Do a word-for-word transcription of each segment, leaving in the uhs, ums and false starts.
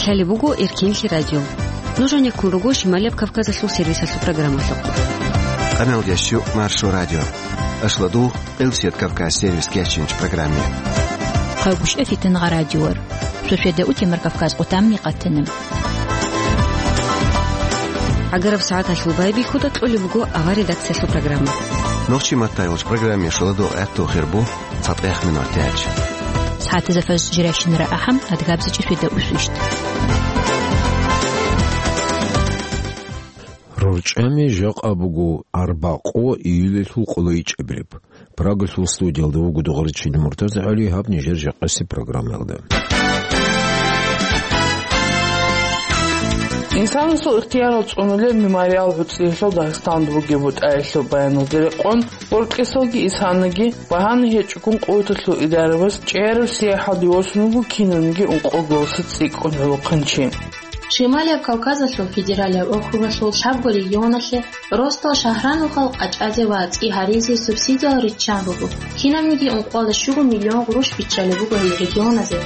Гьале буго Эркенлъи радио. Нуж гьанеккун руго Шималияб Кавказалъул сервисалъул программалъухъ. Къамел ящу Маршо радио. Ашладу Элсет Кавказ сервис кечинч программе. Хъагушев Фитнагъа радиор. Сосведа утемар Кавказ къутамни къатанам. Агараб сагӀаталъул байбихьуда кьолеб буго авар редакциялъул программа. Нохчи маттайолч программе шуладу гӀатту хирбу цатӀех минут тяч. СагӀатазда фаз жиращинара ахӀам адгабзичӀи светда усвищт. РорчӀами жакъа буго арбакъо июлелъул къолайчӀебилеб. Прагалъул студиялда вуго Дугъричил Муртаза ГӀали, гьаб нижер жакъаси программаялда. Инсанасул ихтиярал цӀунулел мемориал гӀуцӀиялъул Дагъистанда бугеб бутӀаялъул баяналде рекъон, Гьоркьесалги Исанаги багьана гьечӀогун къуваталъул идарабаз чӀеяраб сияхӀалде восун вуго кинабниги ункъоголоса цӀикӀкӀун гӀолохъанчи. Шималияб Кавказалъул федералияб округалъул лъабго регионалъе ростал шагьранухъал къачӀазе ва цӀи гьаризе субсидиял риччан руго, кинабниги ункъоялда щуго миллион гъурущ биччалеб буго гьел регионазе.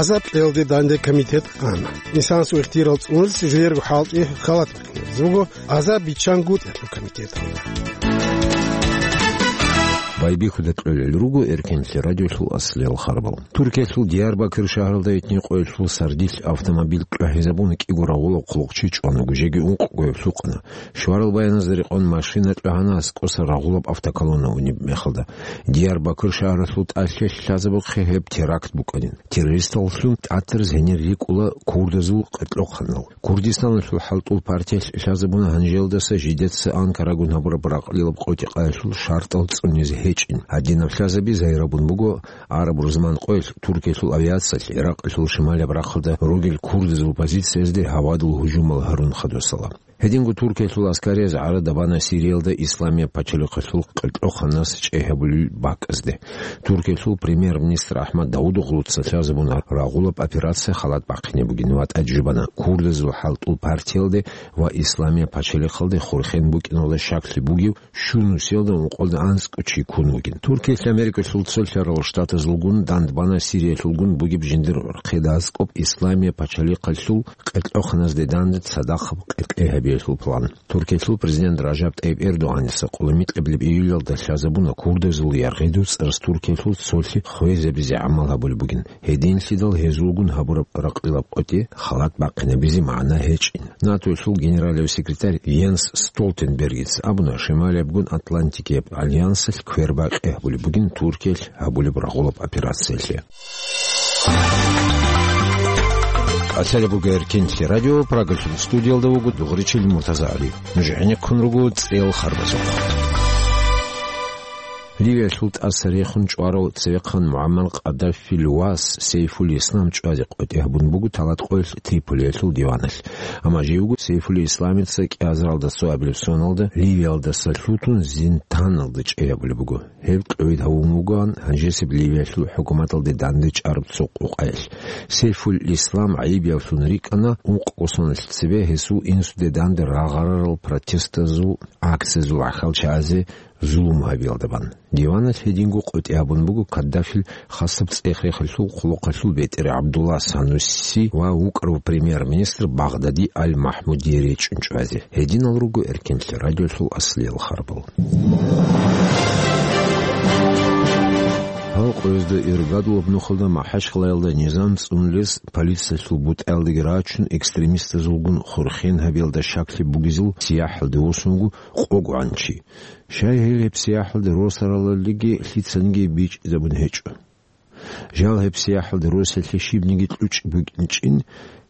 Азаб кьелде данде комитет ана. Инсанасул ихтиярал цӀунулел жер хӀалтӀи халат бахъинабизе буго, азаб биччан гутӀелъул комитеталда. Байбихьуда кьолел руго Эркенлъи радиолъул аслиял харбал. Туркиялъул Диярбакыр шагьаралда гьитӀинкъоялъул сардилъ автомобиль кьвагьизабун кӀиго рагъулаб хъулухъчи чӀван буго, жеги ункъго гьев лъукъана. Щварал баяназда рекъон машина кьвагьана аскӀоса рагъулаб автоколонна унеб мехалда. Диярбакыр шагьаралъул тӀалъи лъазабухъе гьеб теракт букӀанин. Террористаллъун тӀатараз гьенир рикӀкӀула курдазул къеркьохъанал. Курдистаналъул хӀалтӀул партиялъ лъазабуна гьанжелдаса жидеца Анкарагун гьабураб ракълилаб къотӀи-къаялъул шартӀал цӀунизе гьечӀин. Гьадинаб лъазаби загьирабун буго араб рузман къоялъ Туркиялъул авиациялъ Иракъалъул шималияб рахъалда ругел курдазул позициязде гьавадул гьужумал гьарун хадусала. Гьединго Туркиялъул аскарияб гӀарада бана Сириялда Исламияб пачалихъалъул къеркьохъанас чӀей гьабулел бакӀазде. Туркиялъул премьер-министр Ахмад Давудоглуца лъазабуна рагъулаб операция халат бахъине бугин ва тӀаде жубана курдазул хӀалтӀул партиялде ва Исламияб пачалихъалде хурхен букӀиналда щаклъи бугев щун нусиялда ункъоялда анцӀго чи ккун вугин. Туркиялъ Америкалъул цолъарал штатазулгун дандбана Сириялъулгун бугеб жиндир гӀурхъида аскӀоб Исламияб пачалихъалъул къеркьохъаназде данде цадахъаб къеркьей гьабиялъул план. Туркиялъул президент Ражаб ТӀайиб Эрдогъаница къулумикьабилеб июлалда лъазабуна курдазул яргъиду цӀараз Туркиялъул цолъи хвезабизе гӀамал гьабулеб бугин. Гьединлъидал гьезулгун гьабураб ракълилаб къотӀи халат бахъинабизе магӀна гьечӀин. НАТОялъул генералияв секретарь Йенс Столтенбергица абуна, Шималиябгун Атлантикияб альянсалъ квербакъи гьабулеб бугин Туркиялъ гьабулеб рагъулаб операциялъе. Къалъалеб буго Эркенлъи радио, Прагалъул студиялда вуго Дугъричил Муртазагьали. Нуж гӀенеккун руго цӀел харбазухъ. Ливиялъул тӀаса рехун чӀварав цевехъан МугӀаммар Къаддафил вас Сейфул Ислам чӀвазе къотӀи гьабун буго Талаткъоялъ Триполиялъул диваналъ. Амма живго Сейфул Исламица кӀиазаралда цо абилеб соналда Ливиялдаса лъутун зинданалда чӀей гьабулеб буго. Гьеб кьовид гьавун вугоан гьанжесеб Ливиялъул хӀукуматалде данде чӀараб цо къукъаялъ. Сейфул Ислам гӀайибиявлъун рикӀкӀана ункъго соналъ цебе гьесул инсуде данде рагъарарал протестазул акциязул гӀахьал чагӀазе зулум гьабиялда бан. Диваналъ гьединго къотӀи гьабун буго Каддафил хасаб цӀех-рехалъул хъулухъалъул бетӀер ГӀабдулла Санусси ва вукӀарав премьер-министр Багъдади Аль-Махмудие речӀчӀун чӀвазе. Гьединал руго Эркенлъи радиолъул аслиял харбал. Гьал къоязда иргадулаб нухалда МахӀачхъалаялда низам цӀунулес полициялъул бутӀаялдаги рачун экстремистазулгун хурхен гьабиялда щаклъи бугезул сияхӀалде восун вуго къогогӀан чи. Щай гьел гьеб сияхӀалде росаралалиги лъицаниги бичӀчӀизабун гьечӀо. Жал гьеб сияхӀалде росиялъе щибниги кьучӀ букӀинчӀин,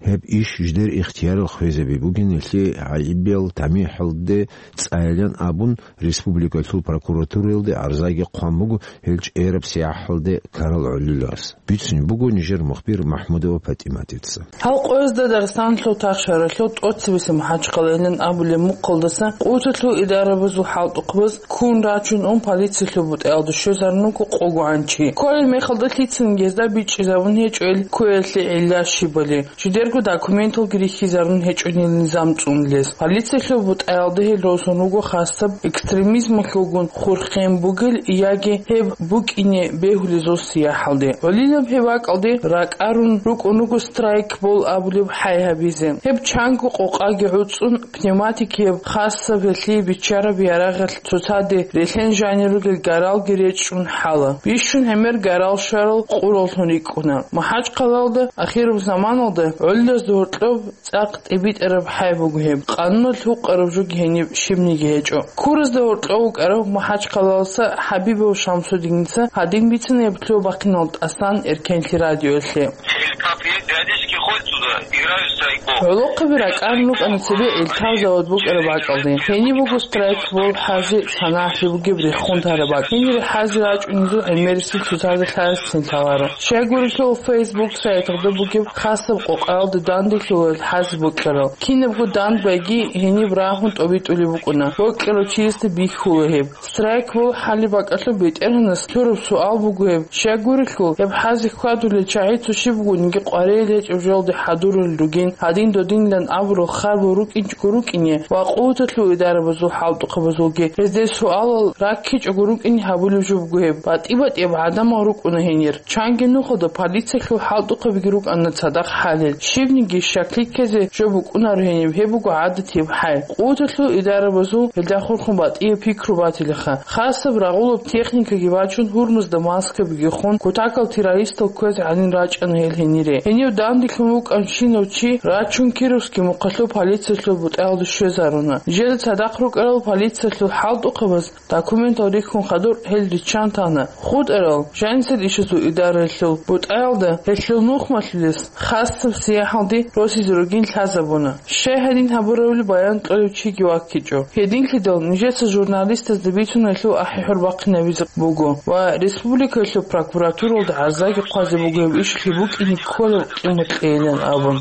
гьеб иш жидер ихтиярал хвезаби бугин, гьелъие гӀайибиял тамихӀалде цӀайилан абун, республикалъул прокуратураялде гӀарзаги хъван буго гьел чӀераб сияхӀалде ккарал гӀолилас. Бицунеб буго нижер мухбир МахӀмудова ПатӀиматица. Гьал къоязда Дагъистаналъул тахшаралъул тӀоцебесеб МахӀачхъалайилан абулеб мухъалдаса къуваталъул идарабазул хӀалтӀухъбаз ккун рачун ун полициялъул бутӀаялда щвезарун вуго къогогӀан чи. Кколеб мехалда лъицаниги гьезда бичӀчӀизабун гьечӀо гьел кквеялъе гӀилла щибали. Жидер Документалги рихьизарун гьечӀонил низам цӀунулес. Полициялъул бутӀаялда гьел росун руго хасаб экстремизмалъулгун хурхен бугел яги гьеб букӀине бегьулезул сияхӀалде. Гьалилаб гьеб бакӀалде ракӀарун рукӀун руго страйкбол абулеб хӀай гьабизе. Гьеб чанго къокъаги гӀуцӀун, пневматикияб хасаб гьелъие биччараб ярагъалъ цоцаде релъен жанир ругел гаралги речӀчӀун хӀала. Бищун гӀемер гарал щварал къураллъун рикӀкӀуна. МахӀачхъалалда ахираб заманалда гӀоллазда гьоркьоб цӀакъ тӀибитӀараб хӀай буго гьеб. Къануналъ гьукъараб жоги гьениб щибниги гьечӀо. Куразда гьоркьов вукӀарав МахӀачхъалаласа ХӀабибов Шамсудиница гьадин бицана гьеб лъугьа-бахъинал тӀасан Эркенлъи радиоялъе. Эльтап периодически ходит сюда, играют в страйкбол. ГӀолохъаби ракӀарун рукӀана цебе Эльтап завод букӀараб бакӀалде. Гьениб буго страйкбол хӀази санагӀалъи бугеб рехун тараб бакӀ. Гьенир хӀази рачӀунезул гӀемерисел цоцазда лъараси лъаларо. Щайгурелъул, Facebook сайталда бугеб хасаб къокъаялда данделъулел хӀази бокьарал. Кинабго дандбайги гьениб рагьун тӀобитӀулеб букӀуна. Бокьарав чиясда бихьула гьеб. Страйкбол хӀалеб бакӀалъуб БетӀергьанас лъураб суал буго гьеб: щайгурелъул, гьеб хӀази хьвадулел чагӀи цо щиб бугониги къваригӀел гьечӀеб жоялде хӀадурулел ругин, гьадин-додинилан абурал харбал рукӀинчӀого рукӀине ва къуваталъул идарабазул хӀалтӀухъабазулги гьезде суалал раккичӀого рукӀине гьабулеб жо буго гьеб. БатӀи-батӀияб гӀадамал рукӀуна гьенир. Чанги нухалда полициялъул хӀалтӀухъабиги рукӀана цадахъ хӀалел. Щибниги щаклъи ккезе жо букӀунаро гьениб, гьеб буго гӀадатияб хӀай. Къуваталъул идарабазул гьелда хурхун батӀияб пикру батилаха. Хасаб рагъулаб техникаги бачун, гьурмузда маскабиги хун, кутакал террористал кквезе гӀадин рачӀана гьел гьенире. Гьенив данделъун вукӀанщинав чи рачун Кировский мухъалъул полициялъул бутӀаялда щвезаруна. Нижеда цадахъ рукӀарал полициялъул хӀалтӀухъабаз документал рихьун хадур гьел риччан тана. ХутӀарал жанисел ишазул идараялъул бутӀаялда гьелъул мухъ малъулес хасаб сияхӀалде росизе ругин лъазабуна. Щай гьадин гьабуравли баян кьолев чиги ваккичӀо. Гьединлъидал нижеца журналистазда бицун гьелъул ахӀи-хӀур бахъинабизе буго ва республикаялъул прокуратуралда гӀарзаги хъвазе буго гьеб ишалъе букӀине кколеб къимат кьейилан абун.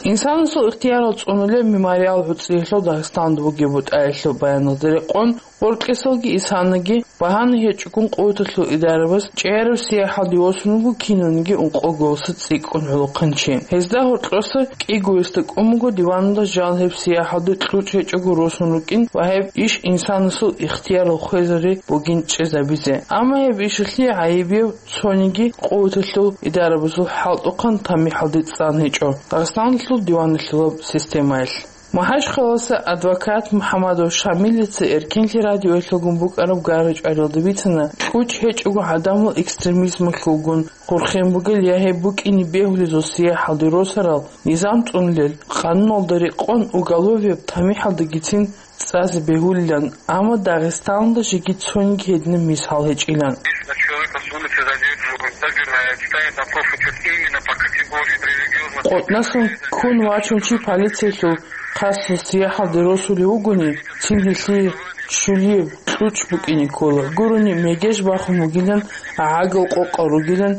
Инсанасул ихтиярал цӀунулеб мемориал гӀуцӀиялъул Дагъистанда бугеб бутӀаялъул баяналда рекъон, гъоркьесалги исанаги багьана гьечӀогун къуваталъул идарабаз чӀегӀераб сияхӀалде восун вуго кинавниги ункъо голоса цӀикӀкӀун гӀолохъанчи. Гьезда гьоркьоса кӀигоясда кӀун буго диваналда жал гьеб сияхӀалде кьучӀ гьечӀого росун рукӀин ва гьеб иш инсанасул ихтиярал хвезари бугин чӀезабизе. Амма гьеб ишалъе гӀайибияб цониги къуваталъул идарабазул хӀалтӀухъан тамихӀалде цӀан гьечӀо Дагъистаналъул диваналъулаб системаялъ. МахӀачхъалалъа адвокат МухӀамадов Шамилица Эркенлъи радиоялъулгун букӀараб гара-чӀвариялда бицана, кьучӀ гьечӀого гӀадамал экстремизмалъулгун хурхен бугел я гьеб букӀине бегьулезул сияхӀалде росарал низам цӀунулел, къануналда рекъон уголовияб тамихӀалдагицин цӀазе бегьулилан, амма Дагъистаналда жеги цониги гьединаб мисал гьечӀилан. Если человека с улицы задерживают, забирают, ставят опросы именно по категории религиозных. КъотӀнасан ккун вачун чи полициялъул хасго сияхӀалде росулев вугони, цин гьелъие ччулияб кьучӀ букӀине ккола. Гурони мегеж бахун вугилан, гӀагал къокъал ругилан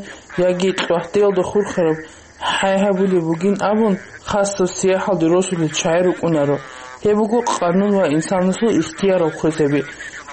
яги кьвагьдеялда хурхараб хӀай гьабулеб бугин абун, хасго сияхӀалде росулел чагӀи рукӀунаро. Гьеб буго къанун ва инсанасул ихтиярал хвезаби.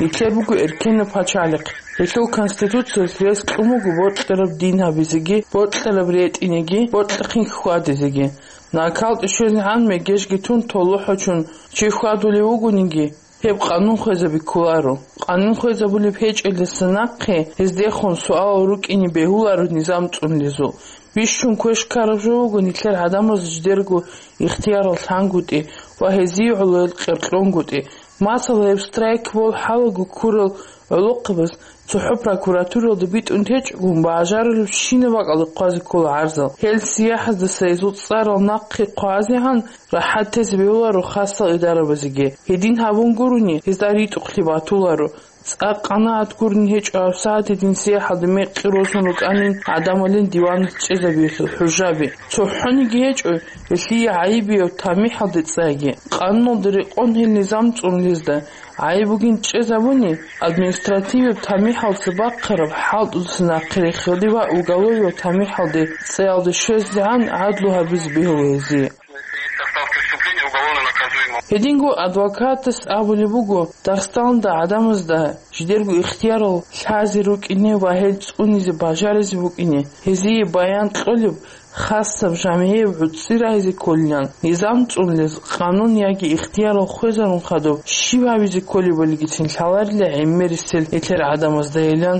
Нилъер буго эркенаб пачалихъ. Гьелъул Конституциялъ рес кьун буго бокьараб дин гьабизеги, бокьараб ретӀинеги, бокьахъин хьвадизеги. НакалкӀе щвезегӀан мегежги тун, толохӀочун чи хьвадулев вугониги, гьеб къанун хвезаби кколаро. Къанун хвезабулеб гьечӀелдаса нахъе гьездехун суалал рукӀине бегьуларо низам цӀунулезул. Бищун квеш ккараб жо буго нилъер гӀадамаз жидерго ихтиярал лъангутӀи ва гьезие гӀолоял къеркьонгутӀи. Масала, гьеб страйкбол хӀалаго ккурал гӀолохъабаз цохӀо прокуратуралда битӀун течӀогун, бажарулебщинаб бакӀалде хъвазе ккола гӀарзал. Гьел сияхӀаздаса гьезул цӀарал нахъе хъвазегӀан рахӀат тезе бегьуларо хасал идарабазеги. Гьедин гьабун гурони, гьезда ритӀухълъи батуларо. ЦӀакъ къанагӀат гурони гьечӀо гьабсагӀат гьедин сияхӀалде мекъи росун рукӀанин гӀадамалин диван чӀезабиялъул хӀужаби. ЦохӀониги гьечӀо гьелъие гӀайибияб тамихӀалде цӀайги. Къануналда рекъон гьел низам цӀунулезда гӀайиб бугин чӀезабуни, административияб тамихӀалца бахъараб хӀалтӀудаса нахъе рехиялде ва уголовияб тамихӀалде цӀаялде щвезегӀан гӀадлу гьабизе бегьула гьезие. Если есть состав преступления, уголовно наказуемо. Гьединго адвокатас абулеб буго, Дагъистаналда гӀадамазда жидерго ихтиярал лъазе рукӀине ва гьел цӀунизе бажаризе букӀине, гьезие баян кьолеб, хасаб жамгӀияб гӀуцӀи рагьизе кколилан, низам цӀунулез къанун яги ихтиярал хвезарун хадуб, щиб гьабизе кколебалигицин лъаларила гӀемерисел гьелъер гӀадамаздайилан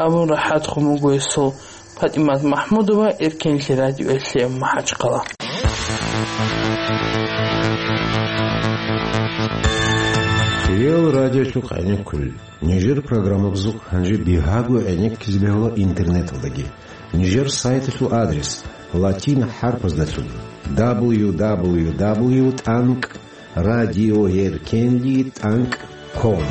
абун рахӀатхун буго гьесул. ПатӀимат МахӀмудова, Эркенлъи радиоялъе, МахӀачхъала. Хириял радиолъухъ гӀенеккулел. Нижер программабазухъ гьанже бигьаго гӀенеккизе бегьула интернеталдаги. Нижер сайталъул адрес латин хӀарпаздалъун: дабл ю дабл ю дабл ю тӀанкӀ радиоеркенли тӀанкӀ ком.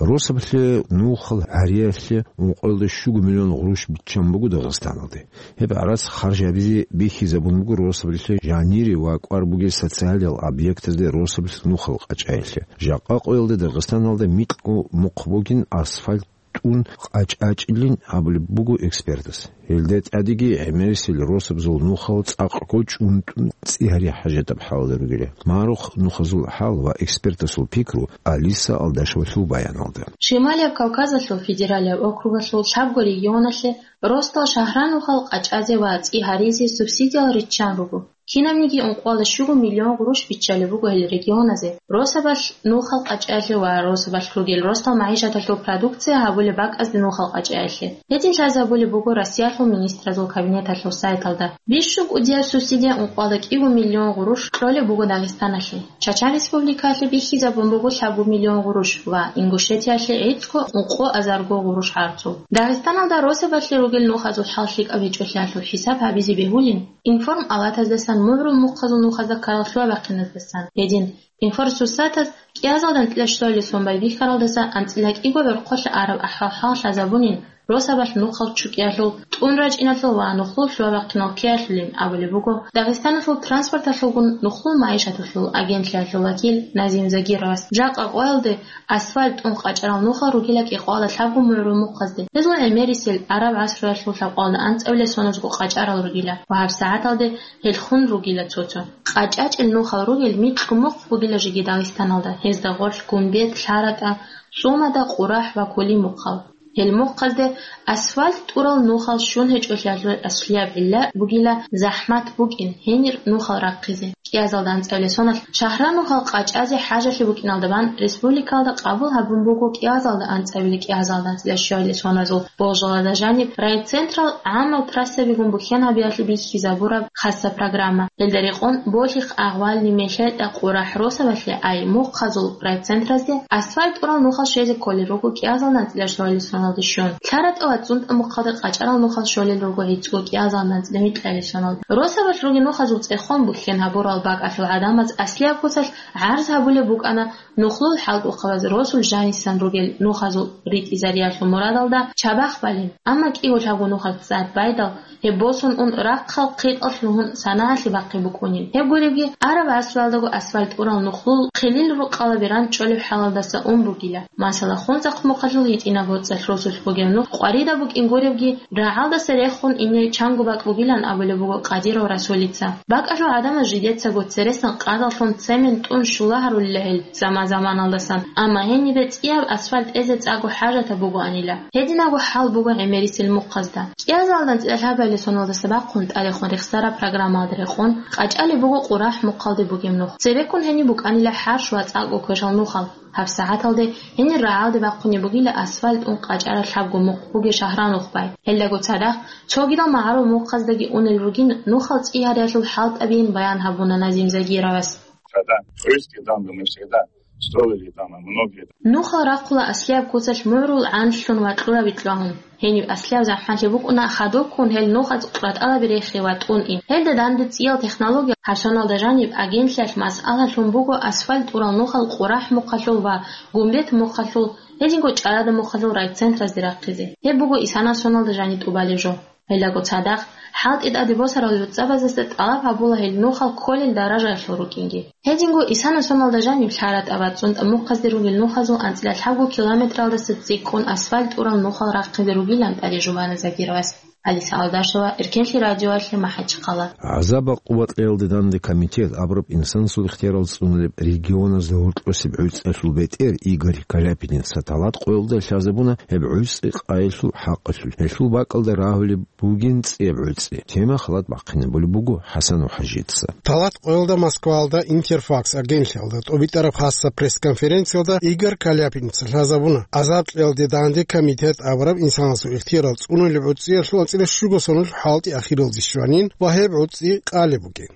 Росабалъе нухал гьариялъе ункъоялда щуго миллион гъурущ биччан буго Дагъистаналде. Гьеб гӀарац харж гьабизе бихьизабун буго росабалъе жанире ва кӀвар бугел социалиял объектазде росабалъ нухал къачӀаялъе. Жакъа къоялда Дагъистаналда микьго мухъ бугин асфальт тӀун къачӀачӀилин абулеб буго экспертас. Гьелда тӀадеги гӀемерисел росабазул нухал цӀакъго чӀунтӀун цӀи гьари хӀажатаб хӀалалда ругила. Марухъ нухазул хӀал ва экспертасул пикру Алиса Алдашевалъул баяналда. Шималияб Кавказалъул федералияб округалъул лъабго регионалъе росдал шагьранухал къачӀазе ва цӀи гьаризе субсидиял риччан руго. Кинабниги ункъоялда щуго миллион гъурущ биччалеб буго гьел регионазе, росабалъ нухал къачӀаялъе ва росабалъ ругел росдал магӀишаталъул продукция гьабулеб бакӀазде нухал къачӀаялъе. Гьедин лъазабулеб буго Россиялъул министралъул кабинеталъул сайталда. Бищун кӀудияб субсидия ункъоялда кӀиго миллион гъурущ кьолеб буго Дагъистаналъе. Чачан Республикаялъе бихьизабун буго лъабго миллион гъурущ ва Ингушетиялъе гӀицӀго ункъо азарго гъурущ гӀарцул. Дагъистаналда росабалъе ругел нухазул хӀал лъикӀаб гьечӀолъиялъул хӀисаб гьабизе бегьулин, информалатаздасан мугӀрул мухъазул нухазда ккарал лъугьа-бахъиназдасан. Гьедин, информсурсатаз кӀиазалда анцӀила щуабилеб сон байбихьаралдаса анцӀила кӀиго гӀорхъолъа араб ахӀвал-хӀал лъазабунин, росабалъ нухал чӀукӀиялъул, тӀун рачӀиналъул ва нухлул лъугьа-бахъинал ккеялъулин абулеб буго Дагъистаналъул транспорталъулгун нухлул магӀишаталъул агентлъиялъул вакил Назим Загировас. Жакъа къоялде асфальт тӀун къачӀарал нухал ругила кӀикъоялда лъабго мугӀрул мухъазде. Гьезул гӀемерисел араб гӀасруялъул лъабкъоялда анцӀабилеб соназго къачӀарал ругила ва гьабсагӀаталде гьел хун ругила цо-цо. КъачӀачӀел нухал ругел микьго мухъ бугила жеги Дагъистаналда, гьезда гъорлъ Гумбет, ЛъаратӀа, ЦӀумада, Къурахь ва Кули мухъал. Гьел мухъазде асфальт тӀурал нухал щун гьечӀолъиялъул аслияб гӀилла бугила захӀмат букӀин гьенир нухал рахъизе. КӀиазалда анцӀабилеб соналъ шагьранухал къачӀазе хӀажалъи букӀиналда бан республикалда къабул гьабун буго кӀиазалда анцӀабилеб, кӀиазалда анцӀила щуабилеб соназул болжалазда жаниб райцентрал гӀамал трассабигун бухьен гьабиялъе бихьизабураб хасаб программа. Гьелда рекъон Болъихъ, Агъвални, МелъетӀа, Къурахь росабалъе, ай мухъазул райцентразде асфальт тӀурал нухал щвезе кколел руго кӀиазалда анцӀила щуабилеб соналде щун. ЛъаратӀа ва ЦӀунтӀа мухъалда къачӀарал нухал щолел руго гӀицӀго кӀиазалда анцӀила микьабилеб соналде. Росабалъ ругел нухазул цӀехон бухьен гьабурал бакӀалъул гӀадамаз аслияб куцалъ гӀарз гьабулеб букӀана нухлул хӀалтӀухъабаз росул жанисан ругел нухазул ритӀизариялъул мурадалда чабахъ балин, амма кӀиго лъабго нухалъ цӀад байдал, гьеб босун ун рахъал хъитӀал лъугьун санагӀалъе бахъи букӀунин. Гьеб гуребги, араб гӀасруялдаго асфальт тӀурал нухлул хъилил рукъалаби ранчӀолеб хӀалалдаса ун бугила. Масала, Хунзахъ мухъалъул гьитӀинаб боцӀалъ росулъ бугеб нух къваридаб букӀин гуребги, рагӀалдаса рехун ине чанго бакӀ бугилан абулеб буго Къадиров Расулица. БакӀалъул гӀадамаз жидецаго цересан къадалъун цемент тӀун щула гьарулила гьел заман-заманалдасан, амма гьенибе цӀияб асфальт тӀезе цӀакъго хӀажатаб бугоанила. Гьединабго хӀал буго гӀемерисел мухъазда. КӀиазалда анцӀила лъабабилеб соналдаса бахъун тӀадехун рехсараб программалда рекъон къачӀалеб буго Къурахь мухъалде бугеб нух. Цебеккун гьениб букӀанила хӀарщ ва цӀакъго квешал нухал. ГьабсагӀаталде гьенир рагӀалде бахъунеб бугила асфальт тӀун къачӀараб лъабго мухъ бугеб шагьранухъ бай. Гьелдаго цадахъ цогидал магӀарул мухъаздаги унел ругин нухал цӀи гьариялъул хӀалтӀабиин баян гьабуна Назим Загировас. Когда крышки там, мы всегда строили там, многие. Нухал рахъула аслияб куцалъ мугӀрул гӀанлъун ва кьураби кьвагьун. Гьениб аслияб захӀмалъи букӀуна хадубккун гьел нухац къватӀалаби рехи ва тӀун ин. Гьелда данде цӀиял технология гьабсоналда жаниб агентлъиялъ масъалалъун буго асфальт тӀурал нухал Къурахь мухъалъул ва Гумбет мухъалъул, гьединго ЧӀарада мухъалъул райцентразде рахъизе. Гьеб буго исанаб соналда жаниб тӀубалеб жо. Гьелдаго цадахъ, хӀалтӀи тӀаде босарал гӀуцӀабаздаса тӀалаб гьабула гьел нухал кколел даражаялъул рукӀинги. Гьединго исанаб соналда жаниб ЛъаратӀа ва ЦӀунтӀа мухъазде ругел нухазул анцӀила лъабго километралдаса цӀикӀкӀун асфальт тӀурал нухал рахъизе ругилан тӀаде жубана Загировас. Алиса Алдашева, Эркенлъи радиоялъе, МахӀачхъала. ГӀазаб-гӀакъуба кьеялде данде комитет абураб инсанасул ихтиярал цӀунулеб регионазда гьоркьосеб гӀуцӀиялъул бетӀер Игорь Каляпиница талат къоялда лъазабуна гьеб гӀуцӀи къайилъул хӀакъалъулъ. Гьелъул бакӀалда рагьулеб бугин цӀияб гӀуцӀи. Тема халат бахъинабулеб буго ХӀасан ва ХӀажица. Талат къоялда Москваялда Интерфакс агентлъиялда тӀобитӀараб хасаб пресс-конференциялда Игорь Каляпиница лъазабуна гӀазаб кьеялде данде комитет абураб инсанасул ихтиярал цӀунулеб гӀуцӀиялъул анцӀила щуго соналъул хӀалтӀи ахиралде щванин ва гьеб гӀуцӀи къалеб бугин.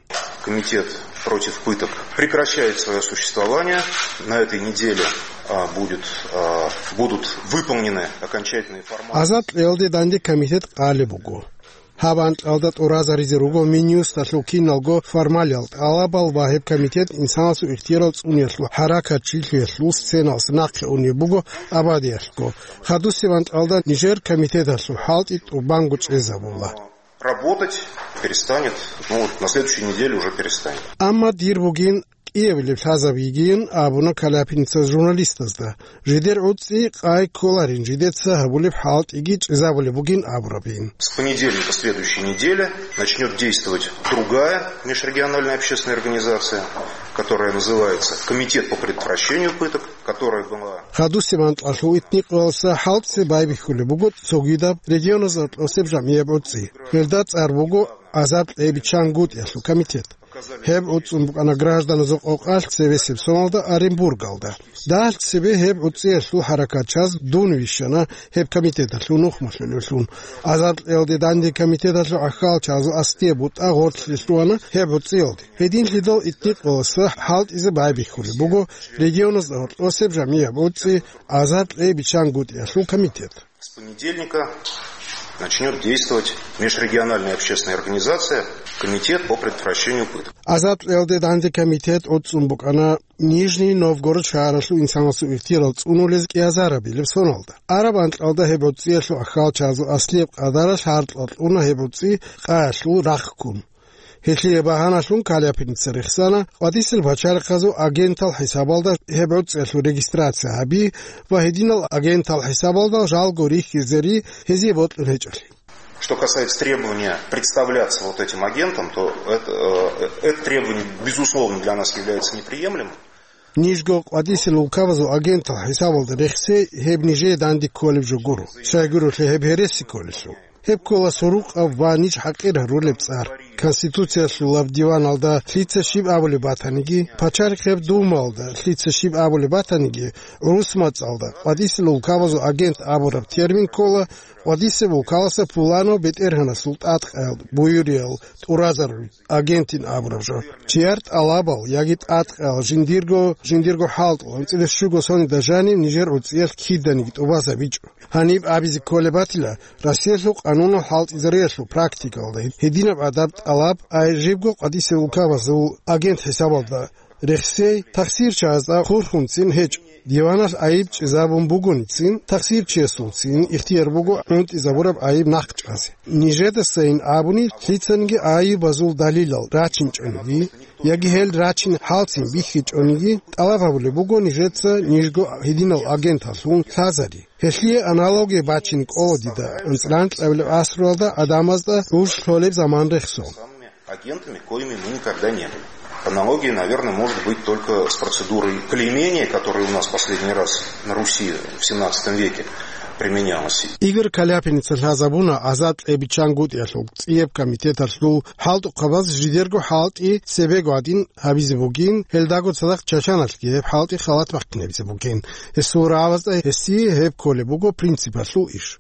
Комитет против пыток прекращает своё существование. На этой неделе, а, будет, а, будут выполнены окончательные форматы. ГӀазаб кьеялде данде комитет къалеб буго. Гьаб анкьалда тӀуразаризе руго Минюсталъул киналго формалиял тӀалабал ва гьеб комитет инсанасул ихтиярал цӀуниялъул хӀаракатчилъиялъул сценалъ нахъе унеб буго абадиялъго. Хадусеб анкьалда нижер комитеталъул хӀалтӀи тӀубанго чӀезабула. Работать перестанет, ну, вот на следующей неделе уже перестанет. Амма дир бугин кӀиабилеб лъазаб йигин абуна Каляпиница журналистазда. Жидер гӀуцӀи къай кколарин, жидеца гьабулеб хӀалтӀиги чӀезабулеб бугин абурабин. С понедельника следующей недели начнёт действовать другая межрегиональная общественная организация, которая называется Комитет по предотвращению пыток, которая была Хадусеб анкьалъул итникъоялса хӀалтӀизе байбихьулеб буго цогидаб регионазда гьоркьосеб жамгӀияб гӀуцӀи. Гьелда цӀар буго гӀазаб кьей биччангутӀиялъул комитет. Гьеб гӀуцӀун букӀана гражданазул къокъалъ цебесеб соналда Оренбургалда. Дагьалъ цебе гьеб гӀуцӀиялъул хӀаракатчияз дун вищана гьеб комитеталъул нухмалъулевлъун. ГӀазаб кьеялде данде комитеталъул гӀахьалчагӀазул аслияб бутӀа гъорлъе лъугьана гьеб гӀуцӀиялде. Гьединлъидал итникъоялса хӀалтӀизе байбихьулеб буго регионазда гьоркьосеб жамгӀияб гӀуцӀи гӀазаб кьей биччангутӀиялъул комитет. С понедельника начнёт действовать межрегиональная общественная организация Комитет по предотвращению пыток. ГӀазаб кьеялде данде комитет гӀуцӀун букӀана Нижний Новгород шагьаралъул инсанасул ихтиярал цӀунулез кӀиазарабилеб соналда. Араб анкьалда гьеб гӀуцӀиялъул гӀахьалчагӀазул аслияб къадаралъ гьаркьа кьуна гьеб гӀуцӀи къаялъул рахъ ккун. Гьелъие багьаналъун Каляпиница рехсана къватӀисел пачалихъазул агентал хӀисабалда гьеб гӀуцӀиялъул регистрация гьаби ва гьединал агентал хӀисабалда жалго рихьизе ри гьезие бокьун гьечӀолъи. Что касается требования представляться вот этим агентом, то это, э, это требование, безусловно, для нас является неприемлемым. Нижго къватӀисел улкабазул агентал хӀисабалда рехсей гьеб нижее данде кколеб жо гуро. Щайгурелъул гьеб гьереси кколелъул. Гьеб ккола сурукъаб ва ниж хӀакъир гьарулеб цӀар. Конституциялъулаб диваналда лъица щиб абулеб батаниги, пачалихъеб Думалда лъица щиб абулеб батаниги, гӀурус мацӀалда къватӀисел улкабазул агент абураб термин ккола къватӀисеб улкаласа пуланав бетӀергьанасул тӀадкъаял буюриял тӀуразарулел агентин абураб жо. Чияр тӀалабал яги тӀадкъаял жиндирго, жиндирго хӀалтӀул анцӀила щуго соналда жанив нижер гӀуцӀиялъ киданиги тӀубазабичӀо. Гьаниб абизе кколеб батила, Россиялъул къанунал хӀалтӀизариялъул практикалда гьединаб гӀадаб тӀалаб ай жибго къватӀисел улкабазул агент хӀисабалда рехсей тахсирчагӀазда хурхунцин гьечӀо. Диваналъ айиб чӀезабун бугоницин, тахсирчиясулцин ихтияр буго гӀунтӀизабураб айиб нахъ чӀазе. Нижедасайин абуни, лъицаниги айибазул далилал рачинчӀониги, яги гьел рачин хӀалцин бихьичӀониги, тӀалаб гьабулеб буго нижеца нижго гьединал агенталъун лъазари. Гьелъие аналогия бачине кӀола дида анцӀила анкьабилеб гӀасруялда гӀадамазда гӀуж лъолеб заман рехсон. Агентами, коими мы никогда не были. Аналогия, наверное, может быть только с процедурой клеймения, которая у нас последний раз на Руси в семнадцатом веке применялась. Игорь Каляпиница лъазабуна гӀазаб кьей биччангутӀиялъул цӀияб комитеталъул хӀалтӀухъабаз жидерго хӀалтӀи цебего гьадин гьабизе бугин, гьелдаго цадахъ Чачаналъги гьеб хӀалтӀи халат бахъинабизе бугин. Гьесул рагӀабазда гьесие гьеб кколеб буго принципалъул иш.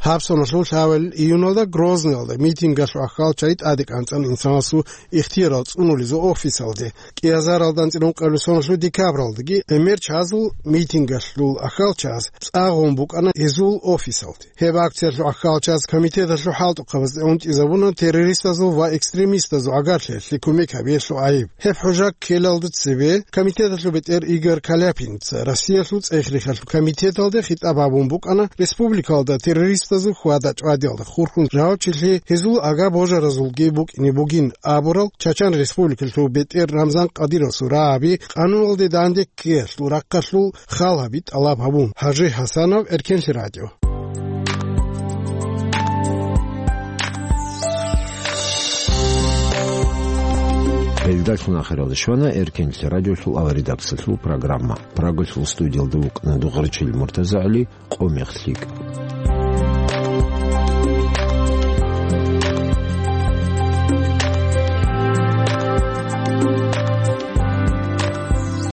Гьаб соналъул лъабабилеб июналда Грозныйалда митингалъул ахӀалчагӀи тӀаде кӀанцӀана инсанасул ихтиярал цӀунулезул офисалде. КӀиазаралда анцӀила ункъабилеб соналъул декабралдаги гӀемер чагӀазул митингалъул ахӀалчагӀаз цӀа гъун букӀана гьезул офисалде. Гьеб акциялъул ахӀалчагӀаз комитеталъул хӀалтӀухъабазда унтӀизабуна террористазул ва экстремистазул гӀагарлъиялъе кумек гьабиялъул гӀайиб. Гьеб хӀужа ккелалда цебе комитеталъул бетӀер Игорь Каляпиница Россиялъул цӀех-рехалъул комитеталде хитӀаб гьабун букӀана республикалда террористазул хьвада-чӀвадиялда хурхун жавабчилъи гьезул ага-божаразулги букӀине бугин абурал Чачан Республикалъул бетӀер Рамзан Кадыровасул рагӀаби къануналде данде ккеялъул рахъалъул хал гьаби тӀалаб гьабун. ХӀажи ХӀасанов, Эркенлъи радио. Далъун ахиралда щвана Эркенлъи радиолъул аваридаксалъул программа. Прагалъул студиялда вукӀана Дугъарчил МуртазагӀли, къо мехлъи.